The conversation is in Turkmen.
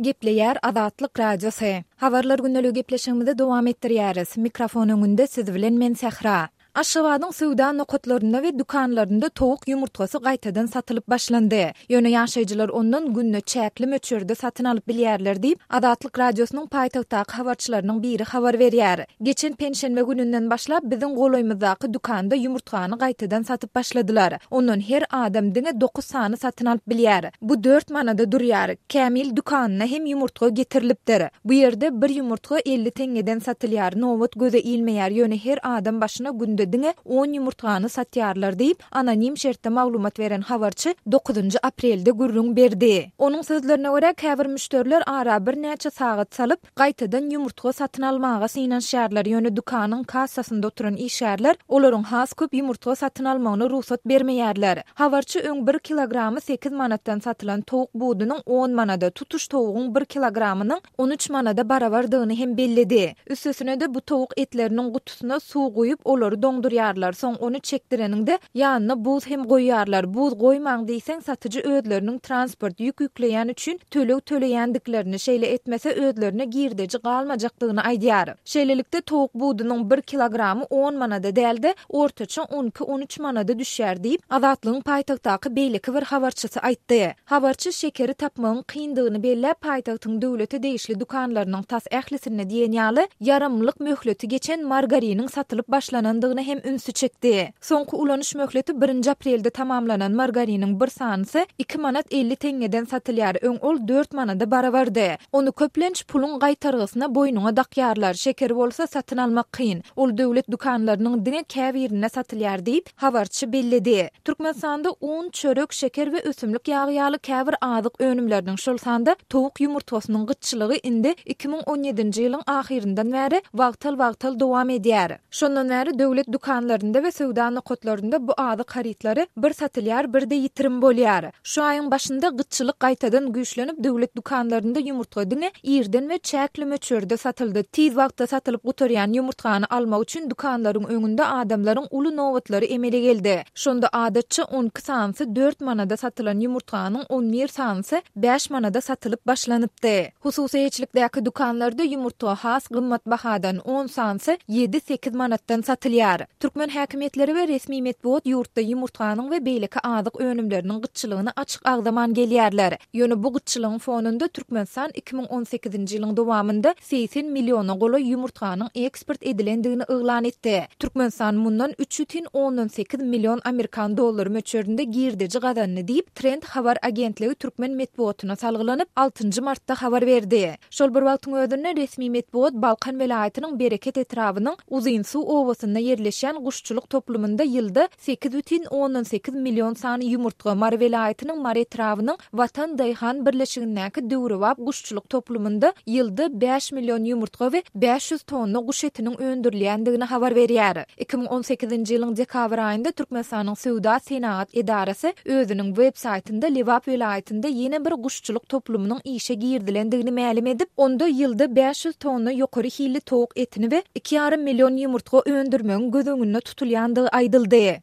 Gepleýär Azatlyk Radiosy. Habarlar gündeligi gepleşigimizi dowam etdirýäris. Mikrofon öňünde siz bilen men Sähra. Aşgabadyň söwda nokatlarynda we dükanlarynda towuk ýumurtgasy gaýtadan satylyp başlandy. Ýöne ýaşaýjylar ondan günde çäkli möçberde satyn alyp bilýärler diýip, Azatlyk Radiosynyň paýtagtdaky habarçylarynyň biri habar berýär. Geçen penşenbe gününden başlap biziň golaýymyzdaky dükanda ýumurtgany gaýtadan satyp başladylar. Ondan her adam diňe dokuz sany satyn alyp bilýär. Bu dört manada durýar. Kämil dükanyna hem ýumurtga getirilipdir. Bu ýerde bir ýumurtga 50 teňňeden satylýar. Nobat göze ilmeýär, ýöne her adam başyna günde diňe on ýumurtgany satýarlar diýip, anonim şertde maglumat beren habarçy dokuzynjy aprelde gürrüň berdi. Onuň sözlerine görä, käbir müşderiler ara birnäçe sagat salyp, gaýtadan ýumurtga satyn almaga synanyşýarlar, ýöne dükanyň kassasynda oturan işgärler olaryň has köp ýumurtga satyn almagyna rugsat bermeýärler. Habarçy öň bir kilogramy sekiz manatdan satylan towuk budunyň on manada, tutuş towugyň bir kilogramynyň 13 manada barabardygyny hem belledi. Üstesine-de bu towuk etleriniň gutusyna suw guýup, olary doňdurýarlar, soň ony çekdireniňde, ýanyna buz hem goýýarlar. Buz goýmaň diýseň, satyjy özleriniň transport, ýük ýükleýän üçin töleg töleýändiklerini, şeýle etmese özlerine girdeji galmajakdygyny aýdýar. Şeýlelikde, towuk budunyň bir kilogramy on manada däl-de, ortaça on iki-on üç manada düşýär diýip, Azatlygyň paýtagtdaky beýleki bir habarçysy aýtdy. Habarçy şekeri tapmagyň kyndygyny belläp, paýtagtyň döwlete degişli dükanlarynyň tas ählisinde diýen ýaly ýaramlylyk möhleti geçen margariniň satylyp başlanandygyna hem ünsi çekdi. Soňky ulanyş möhleti birinji aprelde tamamlanan margariniň bir sanysy iki manat 50 teňňeden satylýar, öň ol dört manada barabardy. Ony köplenç puluň gaýtargysyna boýnuňa dakýarlar, şekeri bolsa satyn almak kyn. Ol döwlet dükanlarynyň diňe käbirinde satylýar diýip, habarçy belledi. Türkmenistanda un, çörek, şeker we ösümlik ýagy ýaly käbir azyk önümleriniň, şol sanda towuk ýumurtgasynyň gytçylygy indi 2017-nji ýylyň ahyryndan bäri wagtal-wagtal dowam edýär. Şondan bäri döwlet dükanlarynda we söwda nokatlarynda bu azyk harytlary bir satylýar, bir-de ýitirim bolýar. Şu aýyň başynda gytçylyk gaýtadan güýçlenip, döwlet dükanlarynda ýumurtga diňe irden we çäkli möçberde satyldy. Tiz wagtda satylyp gutarýan ýumurtgany almak üçin dükanlaryň öňünde adamlaryň uly nobatlary emele geldi. Şonda adatça 12 sanysy dört manada satylan ýumurtganyň on bir sanysy bäş manada satylyp başlanypdy. Hususy eýeçilikdäki dükanlarda ýumurtga has gymmat bahadan, on sanysy ýedi-sekiz manatdan satylýar. Türkmen häkimiýetleri we resmi metbugat ýurtda ýumurtganyň we beýleki azyk önümleriniň gytçylygyny açyk agzaman gelýärler. Ýöne bu gytçylygyň fonunda Türkmenistan 2018-nji ýylyň dowamynda 80 milliona golaý ýumurtganyň eksport edilendigini yglan etdi. Türkmenistan mundan üç bütin ondan sekiz million amerikan dollary möçberinde girdeji gazandy diýip, Trend habar agentligi türkmen metbugatyna salgylanyp, altynjy martda habar berdi. Şol bir wagtyň özünde, resmi metbugat Balkan welaýatynyň Bereket etrabynyň Uzynsuw obasynda ýerleşýän guşçulyk toplumynda ýylda 8,8 million sany ýumurtga, Mary welaýatynyň Mary etrabynyň Watan daýhan birleşigindäki döwrebap guşçulyk toplumynda ýylda bäş million ýumurtga we 500 tonna guş etiniň öndürilýändigini habar berýär. 2018-nji ýylyň dekabr aýynda Türkmenistanyň Söwda-senagat edarasy özüniň web saýtynda Lebap welaýatynda ýene bir guşçulyk toplumynyň işe girizilendigini mälim edip, onda ýylda 500 tonna ýokary hilli towuk etini we iki ýarym million ýumurtga öndürmegiň göz öňünde tutulýandygy aýdyldy.